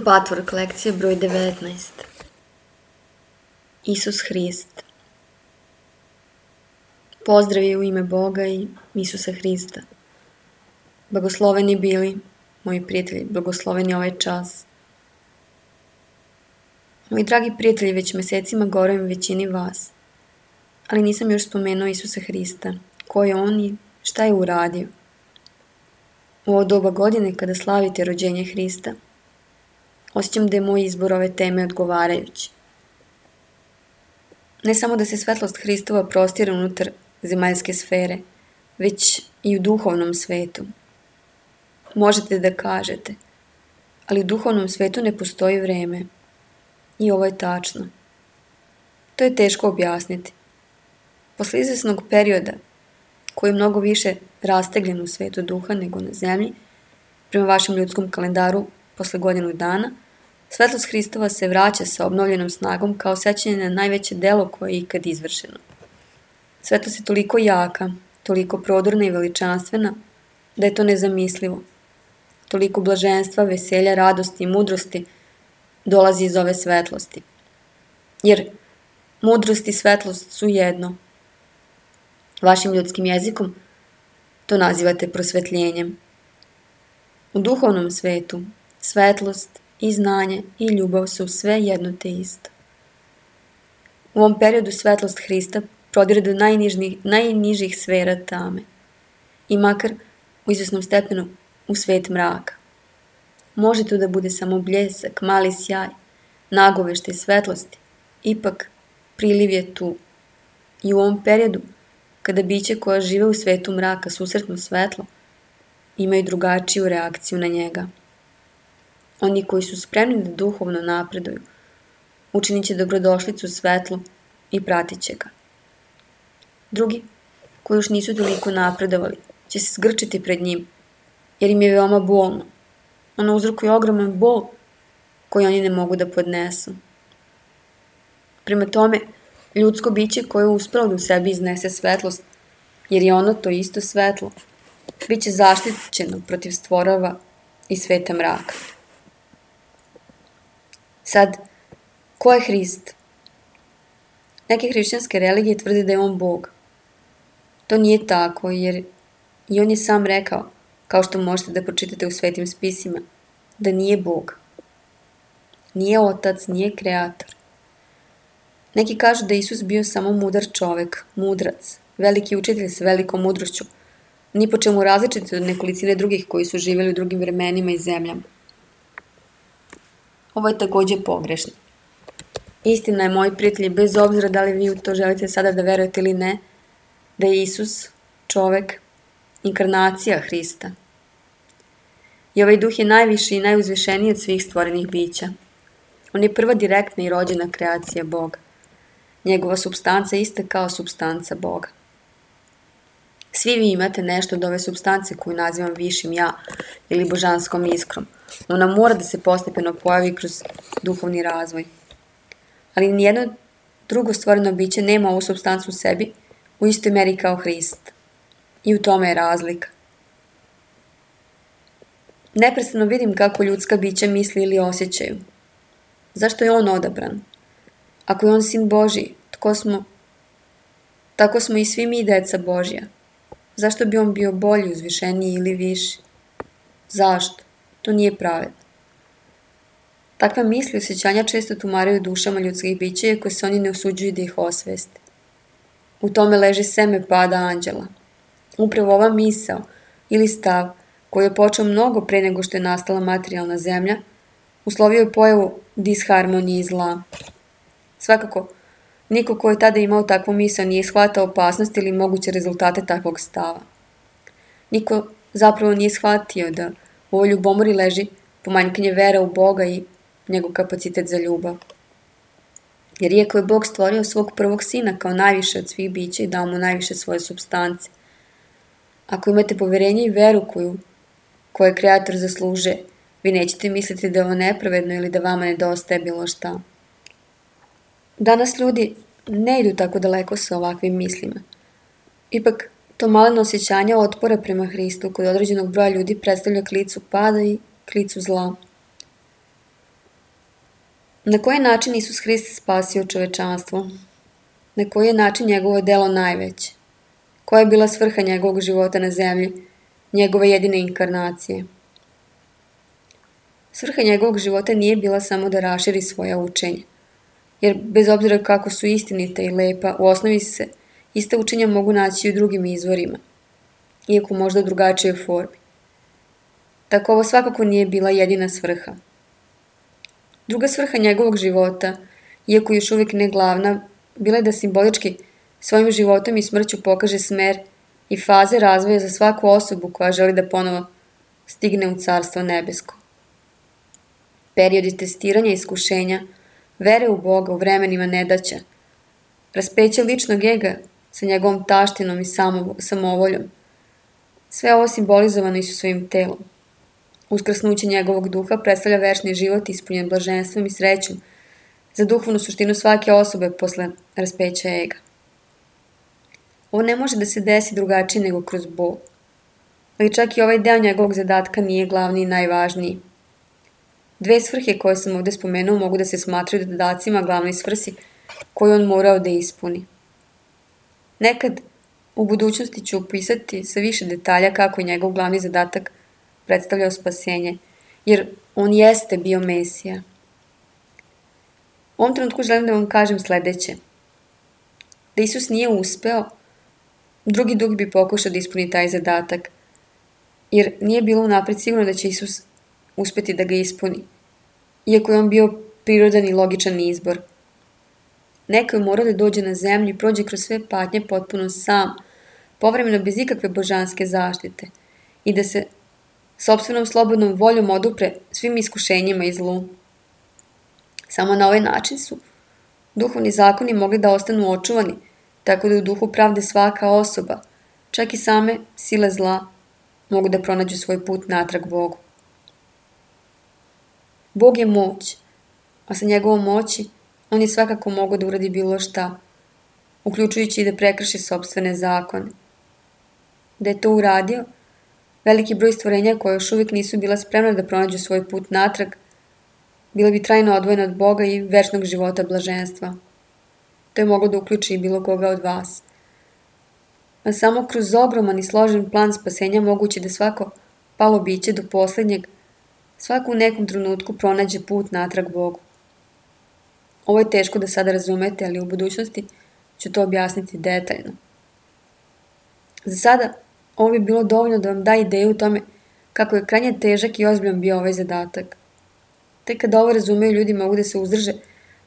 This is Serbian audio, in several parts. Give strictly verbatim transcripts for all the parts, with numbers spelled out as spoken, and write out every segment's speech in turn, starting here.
Patvork lekcija broj devetnaest. Isus Hrist. Pozdravi u ime Boga i Isusa Hrista. Blagosloveni bili, moji prijatelji, blagosloveni ovaj čas. Moji dragi prijatelji, već mesecima govorim većini vas, ali nisam još spomenuo Isusa Hrista, ko je on i šta je uradio. U ovo doba godine kada slavite rođenje Hrista, osjećam da je moj izbor ove teme odgovarajući. Ne samo da se svetlost Hristova prostire unutar zemaljske sfere, već i u duhovnom svetu. Možete da kažete, ali u duhovnom svetu ne postoji vreme. I ovo je tačno. To je teško objasniti. Posle izvesnog perioda, koji je mnogo više rastegljen u svetu duha nego na zemlji, prema vašem ljudskom kalendaru posle godinu dana, svetlost Hristova se vraća sa obnovljenom snagom kao sećanje na najveće delo koje je ikad izvršeno. Svetlost je toliko jaka, toliko prodorna i veličanstvena, da je to nezamislivo. Toliko blaženstva, veselja, radosti i mudrosti dolazi iz ove svetlosti. Jer mudrost i svetlost su jedno. Vašim ljudskim jezikom to nazivate prosvetljenjem. U duhovnom svetu svetlost i znanje i ljubav su sve jedno te isto. U ovom periodu svetlost Hrista prodire do najnižih, najnižih sfera tame i makar u izvesnom stepenu u svet mraka. Može to da bude samo bljesak, mali sjaj, nagoveštaj svetlosti, ipak priliv je tu. I u ovom periodu, kada biće koja žive u svetu mraka susretnu svetlo, imaju drugačiju reakciju na njega. Oni koji su spremni da duhovno napreduju, učinit će dobrodošlicu svetlu i pratit će ga. Drugi, koji još nisu toliko napredovali, će se zgrčiti pred njim, jer im je veoma bolno. Ono uzrokuje ogroman bol koji oni ne mogu da podnesu. Prema tome, ljudsko biće koje je uspelo da u sebi iznese svetlost, jer je ono to isto svetlo, bit će zaštićeno protiv stvorova i sveta mraka. Sad, ko je Hrist? Neke hrišćanske religije tvrde da je on Bog. To nije tako, jer i on je sam rekao, kao što možete da pročitate u svetim spisima, da nije Bog. Nije otac, nije kreator. Neki kažu da je Isus bio samo mudar čovek, mudrac, veliki učitelj sa velikom mudrošću, ni po čemu različiti od nekolicine drugih koji su živjeli u drugim vremenima i zemljama. Ovo je takođe pogrešno. Istina je, moji prijatelji, bez obzira da li vi u to želite sada da verujete ili ne, da je Isus, čovek, inkarnacija Hrista. I ovaj duh je najviši i najuzvišeniji od svih stvorenih bića. On je prva direktna i rođena kreacija Boga. Njegova supstanca je ista kao supstanca Boga. Svi vi imate nešto od ove supstance koju nazivam višim ja ili božanskom iskrom. Ona mora da se postepeno pojavi kroz duhovni razvoj. Ali nijedno drugo stvoreno biće nema ovu supstancu u sebi u istoj meri kao Hrist. I u tome je razlika. Neprestano vidim kako ljudska bića misli ili osjećaju. Zašto je on odabran? Ako je on sin Božji, tko smo? Tako smo i svi mi deca Božja. Zašto bi on bio bolji, uzvišeniji ili viši? Zašto? To nije pravedno. Takve misli i osjećanja često tumaraju dušama ljudskih bića, iako se oni ne usuđuju da ih osveste. U tome leži seme pada anđela. Upravo ova misao ili stav, koji je počeo mnogo pre nego što je nastala materijalna zemlja, uslovio je pojavu disharmonije i zla. Svakako, niko ko je tada imao takvu misao nije shvatao opasnost ili moguće rezultate takvog stava. Niko zapravo nije shvatio da u ovoj ljubomori leži pomanjkanje vera u Boga i njegov kapacitet za ljubav. Jer iako je Bog stvorio svog prvog sina kao najviše od svih bića i dao mu najviše svoje supstance, ako imate poverenje i veru koju, koju je kreator zasluže, vi nećete misliti da je ovo nepravedno ili da vama nedostaje bilo šta. Danas ljudi ne idu tako daleko sa ovakvim mislima. Ipak, to maleno osjećanje otpora prema Hristu kod određenog broja ljudi predstavlja klicu pada i klicu zla. Na koji način Isus Hrist spasio čovečanstvo? Na koji je način njegovo delo najveće? Koja je bila svrha njegovog života na zemlji, njegove jedine inkarnacije? Svrha njegovog života nije bila samo da raširi svoja učenja, jer bez obzira kako su istinita i lepa, u osnovi se ista učenja mogu naći i u drugim izvorima, iako možda u drugačijoj formi. Tako ovo svakako nije bila jedina svrha. Druga svrha njegovog života, iako još uvijek ne glavna, bila je da simbolički svojim životom i smrću pokaže smer i faze razvoja za svaku osobu koja želi da ponovo stigne u carstvo nebesko. Periodi testiranja i iskušenja, vere u Boga u vremenima nedaća, raspeće ličnog ega sa njegovom taštinom i samovoljom. Sve ovo simbolizovano i su svojim telom. Uskrsnuće njegovog duha predstavlja večni život ispunjen blaženstvom i srećom za duhovnu suštinu svake osobe posle raspeća ega. Ovo ne može da se desi drugačije nego kroz bol. Ali čak i ovaj deo njegovog zadatka nije glavni i najvažniji. Dve svrhe koje sam ovdje spomenuo mogu da se smatraju dodacima glavnoj svrsi koju on morao da ispuni. Nekad u budućnosti ću opisati sa više detalja kako je njegov glavni zadatak predstavljao spasenje, jer on jeste bio Mesija. U ovom trenutku želim da vam kažem sledeće. Da Isus nije uspeo, drugi duh bi pokušao da ispuni taj zadatak, jer nije bilo unapred sigurno da će Isus uspeti da ga ispuni, iako je on bio prirodan i logičan izbor. Neko je morao da dođe na zemlju i prođe kroz sve patnje potpuno sam, povremeno bez ikakve božanske zaštite, i da se sopstvenom slobodnom voljom odupre svim iskušenjima i zlu. Samo na ovaj način su duhovni zakoni mogli da ostanu očuvani, tako da u duhu pravde svaka osoba, čak i same sile zla, mogu da pronađu svoj put natrag Bogu. Bog je moć, a sa njegovom moći on je svakako mogao da uradi bilo šta, uključujući i da prekrši sopstvene zakone. Da je to uradio, veliki broj stvorenja koje još uvijek nisu bila spremna da pronađu svoj put natrag, bila bi trajno odvojena od Boga i večnog života blaženstva. To je moglo da uključi i bilo koga od vas. A samo kroz ogroman i složen plan spasenja moguće da svako palo biće do posljednjeg, svako u nekom trenutku pronađe put natrag Bogu. Ovo je teško da sada razumete, ali u budućnosti ću to objasniti detaljno. Za sada, ovo bi bilo dovoljno da vam da ideju o tome kako je krajnje težak i ozbiljan bio ovaj zadatak. Tek kada ovo razumeju, ljudi mogu da se uzdrže,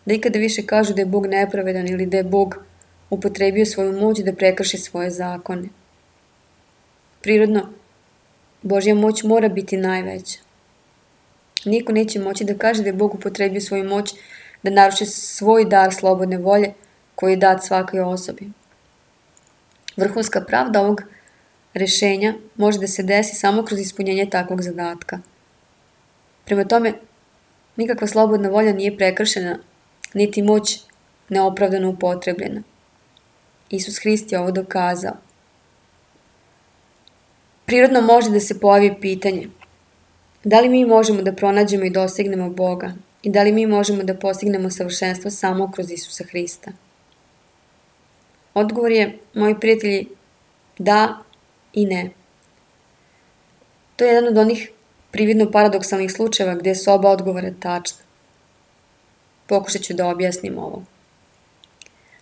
da ikada više kažu da je Bog nepravedan ili da je Bog upotrebio svoju moć da prekrši svoje zakone. Prirodno, Božja moć mora biti najveća. Niko neće moći da kaže da je Bog upotrebio svoju moć da naruši svoj dar slobodne volje koji je dat svakoj osobi. Vrhunska pravda ovog rešenja može da se desi samo kroz ispunjenje takvog zadatka. Prema tome, nikakva slobodna volja nije prekršena, niti moć neopravdano upotrebljena. Isus Hrist je ovo dokazao. Prirodno može da se pojavi pitanje: da li mi možemo da pronađemo i dostignemo Boga i da li mi možemo da postignemo savršenstvo samo kroz Isusa Hrista? Odgovor je, moji prijatelji, da i ne. To je jedan od onih prividno paradoksalnih slučajeva gdje su oba odgovora tačna. Pokušat ću da objasnim ovo.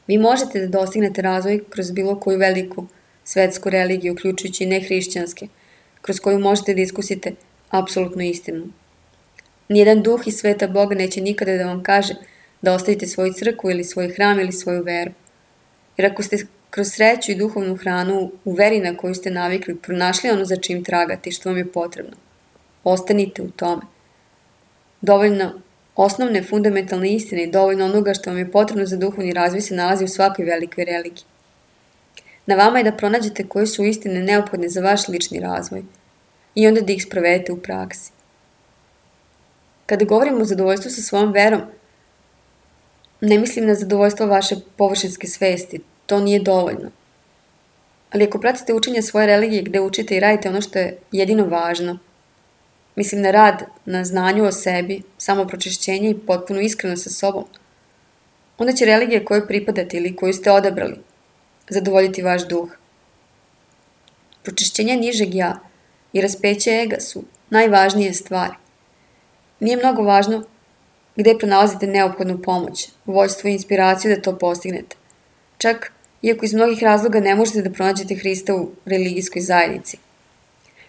Vi možete da dostignete razvoj kroz bilo koju veliku svetsku religiju, uključujući i nehrišćanske, kroz koju možete da iskusite apsolutnu istinu. Nijedan duh iz sveta Boga neće nikada da vam kaže da ostavite svoju crkvu ili svoj hram ili svoju veru. Jer ako ste kroz sreću i duhovnu hranu u veri na koju ste navikli pronašli ono za čim tragate i što vam je potrebno, ostanite u tome. Dovoljno osnovne fundamentalne istine i dovoljno onoga što vam je potrebno za duhovni razvoj se nalazi u svakoj velikoj religiji. Na vama je da pronađete koje su istine neophodne za vaš lični razvoj i onda da ih sprovedete u praksi. Kada govorimo o zadovoljstvu sa svojom verom, ne mislim na zadovoljstvo vaše površinske svesti, to nije dovoljno. Ali ako pratite učenje svoje religije gde učite i radite ono što je jedino važno, mislim na rad, na znanju o sebi, samopročišćenje i potpunu iskrenost sa sobom, onda će religija kojoj pripadate ili koju ste odabrali zadovoljiti vaš duh. Pročišćenje nižeg ja i raspeće ega su najvažnije stvari. Nije mnogo važno gde pronalazite neophodnu pomoć, vođstvo i inspiraciju da to postignete. Čak, iako iz mnogih razloga ne možete da pronađete Hrista u religijskoj zajednici.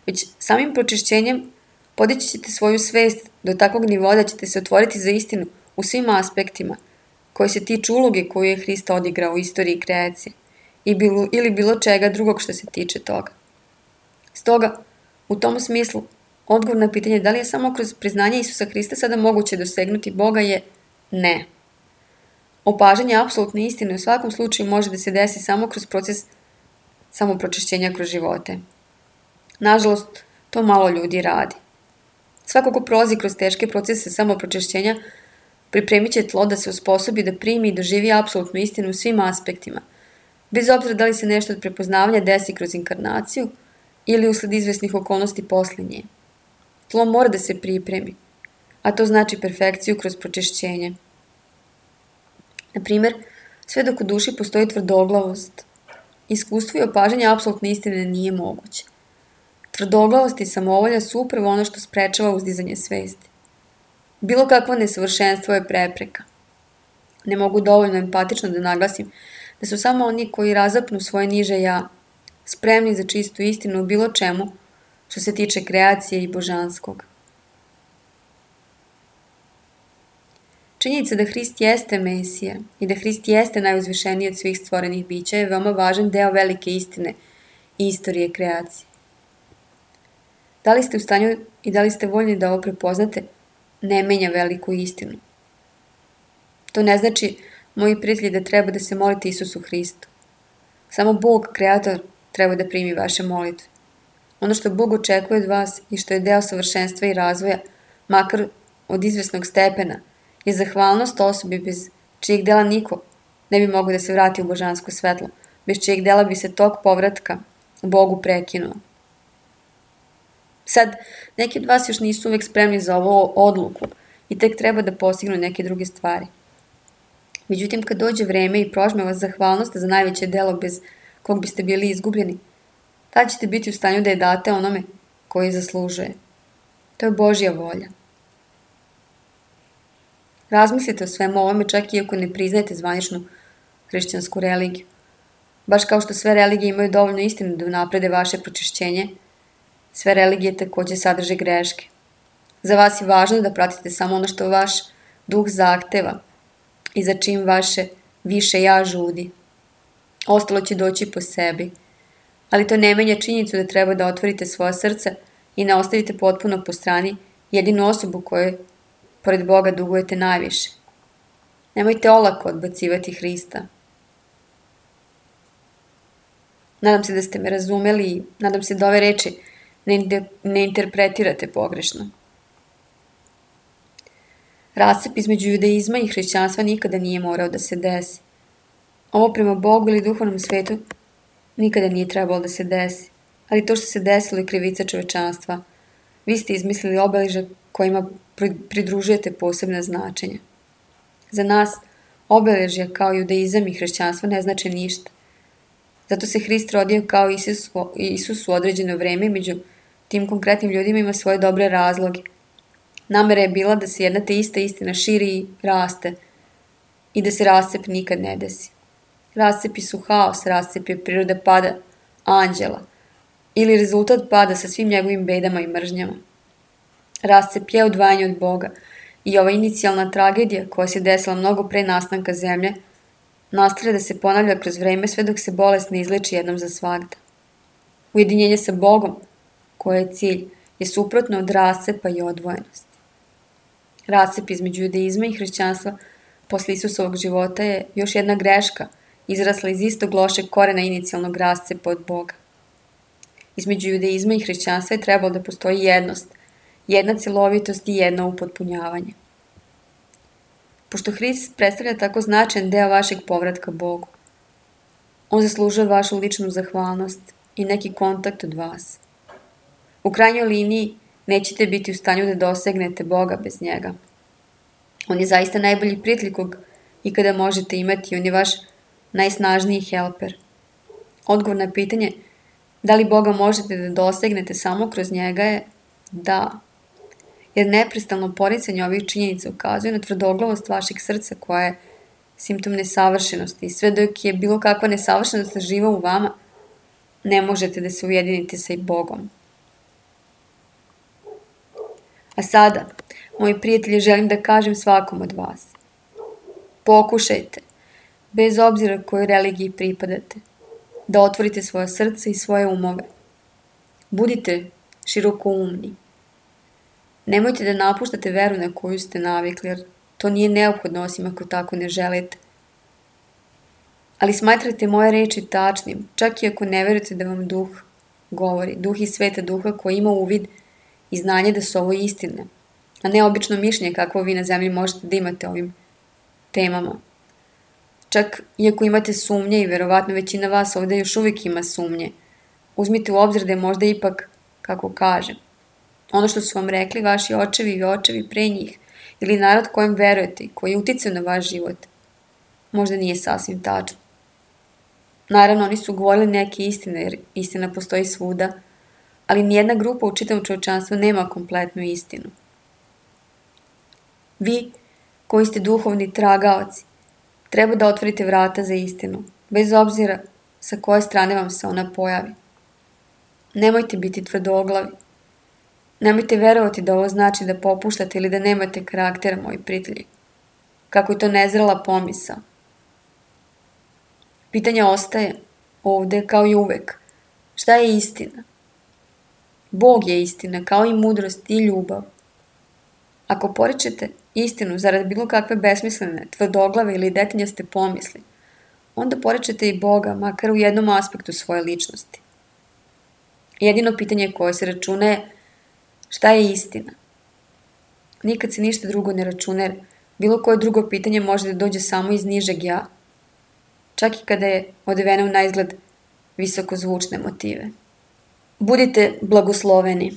Već samim pročišćenjem podići ćete svoju svest do takvog nivoa da ćete se otvoriti za istinu u svim aspektima koji se tiču uloge koju je Hrista odigrao u istoriji kreacije i bilo, ili bilo čega drugog što se tiče toga. Stoga, u tom smislu, odgovor na pitanje da li je samo kroz priznanje Isusa Hrista sada moguće dosegnuti Boga je ne. Opažanje apsolutne istine u svakom slučaju može da se desi samo kroz proces samopročišćenja kroz živote. Nažalost, to malo ljudi radi. Svako ko prolazi kroz teške procese samopročišćenja pripremit će tlo da se osposobi da primi i doživi apsolutnu istinu u svim aspektima, bez obzira da li se nešto od prepoznavanja desi kroz inkarnaciju ili usled izvesnih okolnosti posle nje. Tlo mora da se pripremi, a to znači perfekciju kroz pročišćenje. Na primer, sve dok u duši postoji tvrdoglavost, iskustvo i opažanje apsolutne istine nije moguće. Tvrdoglavost i samovolja su upravo ono što sprečava uzdizanje svesti. Bilo kakvo nesavršenstvo je prepreka. Ne mogu dovoljno empatično da naglasim da su samo oni koji razapnu svoje niže ja spremni za čistu istinu u bilo čemu što se tiče kreacije i božanskog. Činjenica da Hrist jeste Mesija i da Hrist jeste najuzvišeniji od svih stvorenih bića je veoma važan deo velike istine i istorije kreacije. Da li ste u stanju i da li ste voljni da ovo prepoznate, ne menja veliku istinu. To ne znači, moji prijatelji, da treba da se molite Isusu Hristu. Samo Bog, Kreator, treba da primi vaše molitve. Ono što Bog očekuje od vas i što je deo savršenstva i razvoja, makar od izvesnog stepena, je zahvalnost osobi bez čijeg dela niko ne bi mogao da se vrati u božansko svetlo, bez čijeg dela bi se tok povratka Bogu prekinuo. Sad, neki od vas još nisu uvek spremni za ovu odluku i tek treba da postignu neke druge stvari. Međutim, kad dođe vreme i prožme vas zahvalnost za najveće delo bez kog biste bili izgubljeni, tada ćete biti u stanju da je date onome koji zaslužuje. To je Božja volja. Razmislite o svemu ovome čak i ako ne priznajete zvaničnu hrišćansku religiju. Baš kao što sve religije imaju dovoljno istinu da naprede vaše pročišćenje, sve religije takođe sadrže greške. Za vas je važno da pratite samo ono što vaš duh zahteva i za čim vaše više ja žudi. Ostalo će doći po sebi, ali to ne menja činjenicu da treba da otvorite svoja srca i ne ostavite potpuno po strani jedinu osobu kojoj pored Boga dugujete najviše. Nemojte olako odbacivati Hrista. Nadam se da ste me razumeli i nadam se da ove reči ne, ne interpretirate pogrešno. Rascep između judaizma i hrišćanstva nikada nije morao da se desi. Ovo prema Bogu ili duhovnom svetu nikada nije trebalo da se desi, ali to što se desilo je krivica čovečanstva. Vi ste izmislili obeležja kojima pridružujete posebna značenja. Za nas obeležja kao judaizam i hrišćanstvo ne znače ništa. Zato se Hrist rodio kao Isus, Isus u određeno vreme, među tim konkretnim ljudima ima svoje dobre razloge. Namera je bila da se jedna te ista istina širi i raste i da se rascep nikad ne desi. Rascepi su haos, rascep je priroda pada anđela ili rezultat pada sa svim njegovim bedama i mržnjama. Rascep je odvajanje od Boga i ova inicijalna tragedija koja se desila mnogo pre nastanka zemlje nastavlja da se ponavlja kroz vreme sve dok se bolest ne izleči jednom za svagda. Ujedinjenje sa Bogom, koje je cilj, je suprotno od rascepa i odvojenosti. Rascep između judaizma i hrišćanstva posle Isusovog života je još jedna greška izrasla iz istog lošeg korena inicijalnog rascepa od Boga. Između judaizma i hrišćanstva je trebalo da postoji jednost, jedna celovitost i jedno upotpunjavanje. Pošto Hrist predstavlja tako značajan deo vašeg povratka Bogu, on zaslužuje vašu ličnu zahvalnost i neki kontakt od vas. U krajnjoj liniji, nećete biti u stanju da dosegnete Boga bez njega. On je zaista najbolji prijatelj kog ikada možete imati. On je vaš najsnažniji helper. Odgovor na pitanje da li Boga možete da dosegnete samo kroz njega je da. Jer neprestalno poricanje ovih činjenica ukazuje na tvrdoglavost vašeg srca koja je simptom nesavršenosti. I sve dok je bilo kakva nesavršenost živa u vama, ne možete da se ujedinite sa i Bogom. A sada, moji prijatelji, želim da kažem svakom od vas. Pokušajte, bez obzira kojoj religiji pripadate, da otvorite svoje srce i svoje umove. Budite širokoumni. Nemojte da napuštate veru na koju ste navikli, jer to nije neophodno osim ako tako ne želite. Ali smatrajte moje reči tačnim, čak i ako ne verujete da vam duh govori, duh iz sveta duha koji ima uvid i znanje da su ovo istine, a ne obično mišljenje kakvo vi na zemlji možete da imate ovim temama. Čak iako imate sumnje i verovatno većina vas ovdje još uvijek ima sumnje, uzmite u obzir da je možda ipak, kako kažem, ono što su vam rekli vaši očevi i očevi pre njih ili narod kojem verujete i koji je uticao na vaš život, možda nije sasvim tačno. Naravno, oni su govorili neke istine, jer istina postoji svuda, ali nijedna grupa u čitavom čovječanstvu nema kompletnu istinu. Vi, koji ste duhovni tragaoci, treba da otvorite vrata za istinu, bez obzira sa koje strane vam se ona pojavi. Nemojte biti tvrdoglavi. Nemojte verovati da ovo znači da popuštate ili da nemate karaktera, moji prijatelji. Kako je to nezrela pomisao. Pitanje ostaje ovdje kao i uvek. Šta je istina? Bog je istina, kao i mudrost i ljubav. Ako poričete istinu zarad bilo kakve besmislene, tvrdoglave ili detinjaste pomisli, onda poričete i Boga, makar u jednom aspektu svoje ličnosti. Jedino pitanje koje se računa je šta je istina? Nikad se ništa drugo ne računa, jer bilo koje drugo pitanje može da dođe samo iz nižeg ja, čak i kada je odevena u naizgled visokozvučne motive. Budite blagosloveni.